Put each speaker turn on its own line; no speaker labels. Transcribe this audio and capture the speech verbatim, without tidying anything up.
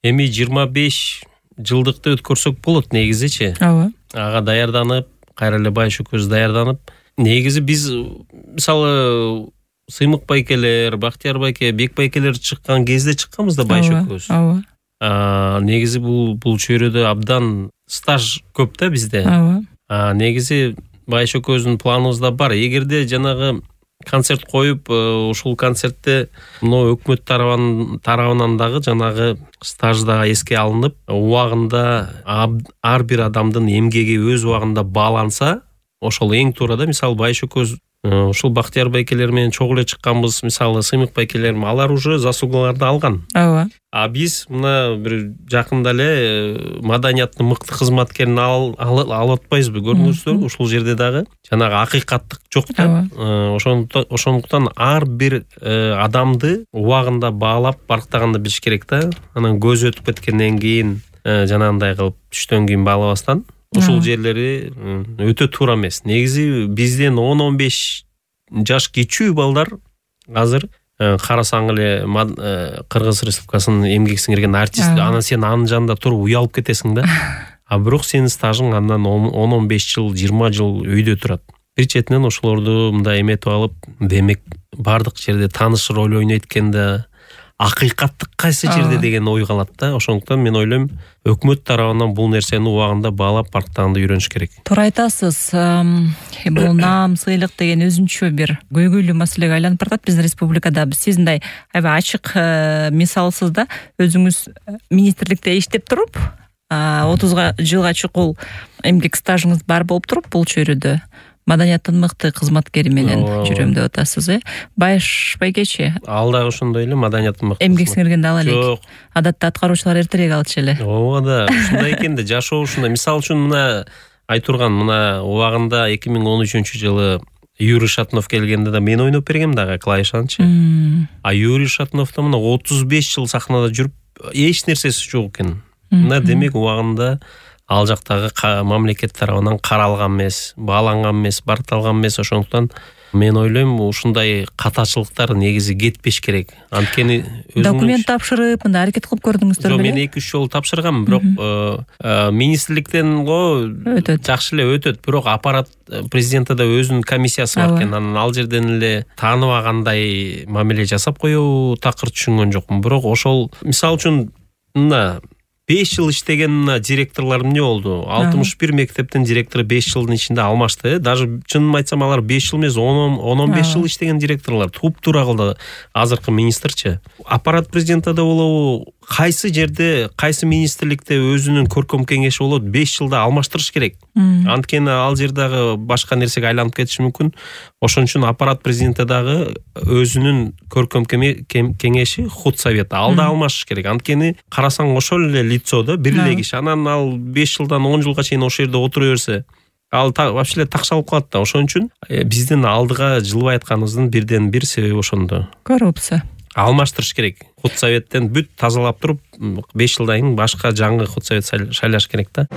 эми жыйырма беш жылдыкты өткөрсөк болот негизичи.
Ооба.
Ага даярданып, кайра эле Байшөкөз даярданып, негизи биз мисалы Сыймык байкелер, Бактияр байке, Бек байкелер чыккан кезде чыкканбыз да Байшөкөз.
Ооба.
А негизи бул бул чөйрөдө абдан стаж көп да бизде.
Ооба.
А негизи Байшөкөздүн планыбызда бар. Эгерде жанагы концерт коюп, ушул концертте мына өкмөт тарабынан дагы жанагы стаж дагы эске алынып, убагында ар бир адамдын эмгеги өз убагында бааланса, ошол эң туура да. Мисалы Байшөкөз ушул Бактияр байкелер менен чогуу эле чыкканбыз, мисалы Сыймык байкелер, алар уже заслугаларды алган.
Ооба.
А биз мына бир жакында эле маданияттын мыкты кызматкерин алып атпайбызбы, көрдүңүздөр? Ушул жерде дагы жанагы акыйкаттык жок да. Ошондуктан ар бир адамды убагында баалап барктаганды билиш керек да. Анан көз өтүп кеткенден кийин жанагындай кылып түштөн кийин баалабастан ушул жерлери өтө туура эмес. Негизи бизден он он беш жаш кичүү балдар азыр карасаң эле Кыргыз Республикасынын эмгек сиңирген артист, анан сен анын жанында туруп уялып кетесиң да. А бирок сенин стажың андан он он беш жыл, жыйырма жыл өйдө турат. Бир четинен ошолорду мындай эметип алып, демек бардык жерде тааныш роль ойнойт экен да. Акыйкаттык кайсы жерде деген ой калат да. Ошондуктан мен ойлойм, өкмөт тарабынан бул нерсени убагында баалап барктаганды үйрөнүш керек.
Туура айтасыз. Бул наам, сыйлык деген өзүнчө бир көйгөйлүү маселеге айланып баратат биздин республикада. Биз сиздей аябай ачык мисалсыз да, өзүңүз министрликте иштеп туруп, отуз жылга чукул эмгек стажыңыз бар болуп туруп, бул чөйрөдө маданияттын мыкты кызматкери менен жүрөм деп атасыз, э? Байш байкечи.
Ал дагы ошондой эле маданияттын мыкты.
Эмгек сиңиргенде ала элек.
Жок.
Адатта аткаруучулар эртерээк алчу эле.
Ооба да, ушундай экен да, жашоо ушундай. Мисалы үчүн мына айтурган, мына убагында эки миң он үчүнчү жылы Юрий Шатунов келгенде да мен ойноп бергем дагы клавишанчы. А Юрий Шатунов да мына отуз беш жыл сахнада жүрүп, эч нерсеси жок экен. Мына демек убагында ал жактагы мамлекет тарабынан каралган эмес, бааланган эмес, баркталган эмес. Ошондуктан мен ойлойм, ушундай катачылыктар негизи кетпеш керек. Анткени
документ тапшырып, мындай аракет кылып көрдүңүздөр беле?
Мен эки үч жолу тапшыргам, бирок министрликтен го жакшы эле өтөт, бирок аппарат президентте өзүнүн комиссиясы бар экен. Анан ал жерден эле тааныбагандай мамиле жасап коебу, такыр түшүнгөн жокмун. Бирок ошол мисалы үчүн мына беш жыл иштеген директорлор эмне болду? алтымыш бир мектептин директору беш жылдын ичинде алмашты. Даже чынын айтсам алар беш жыл эмес, он он беш жыл иштеген директорлор. Туп-туура кылды азыркы министрчи. Аппарат президентте да болобу, кайсы жерде, кайсы министрликте өзүнүн көркөм кеңеши болот, беш жылда алмаштырыш керек. Анткени ал жер дагы башка нерсеге айланып кетиши мүмкүн. Ошон үчүн аппарат президентте дагы өзүнүн көркөм кеңеши, худсовет, ал да алмашыш керек. Анткени карасаң ошол эле лицо да, бир эле киши. Анан ал беш жылдан он жылга чейин ошол жерде отура берсе, ал вообще такшалып калат да. Ошон үчүн биздин алдыга жылбай атканыбыздын бирден бир себеби ошондо.
Коррупция.
Алмаштырыш керек. Худсоветтен бүт тазалап туруп, беш жылдан кийин башка жаңы худсовет шайлаш керек да.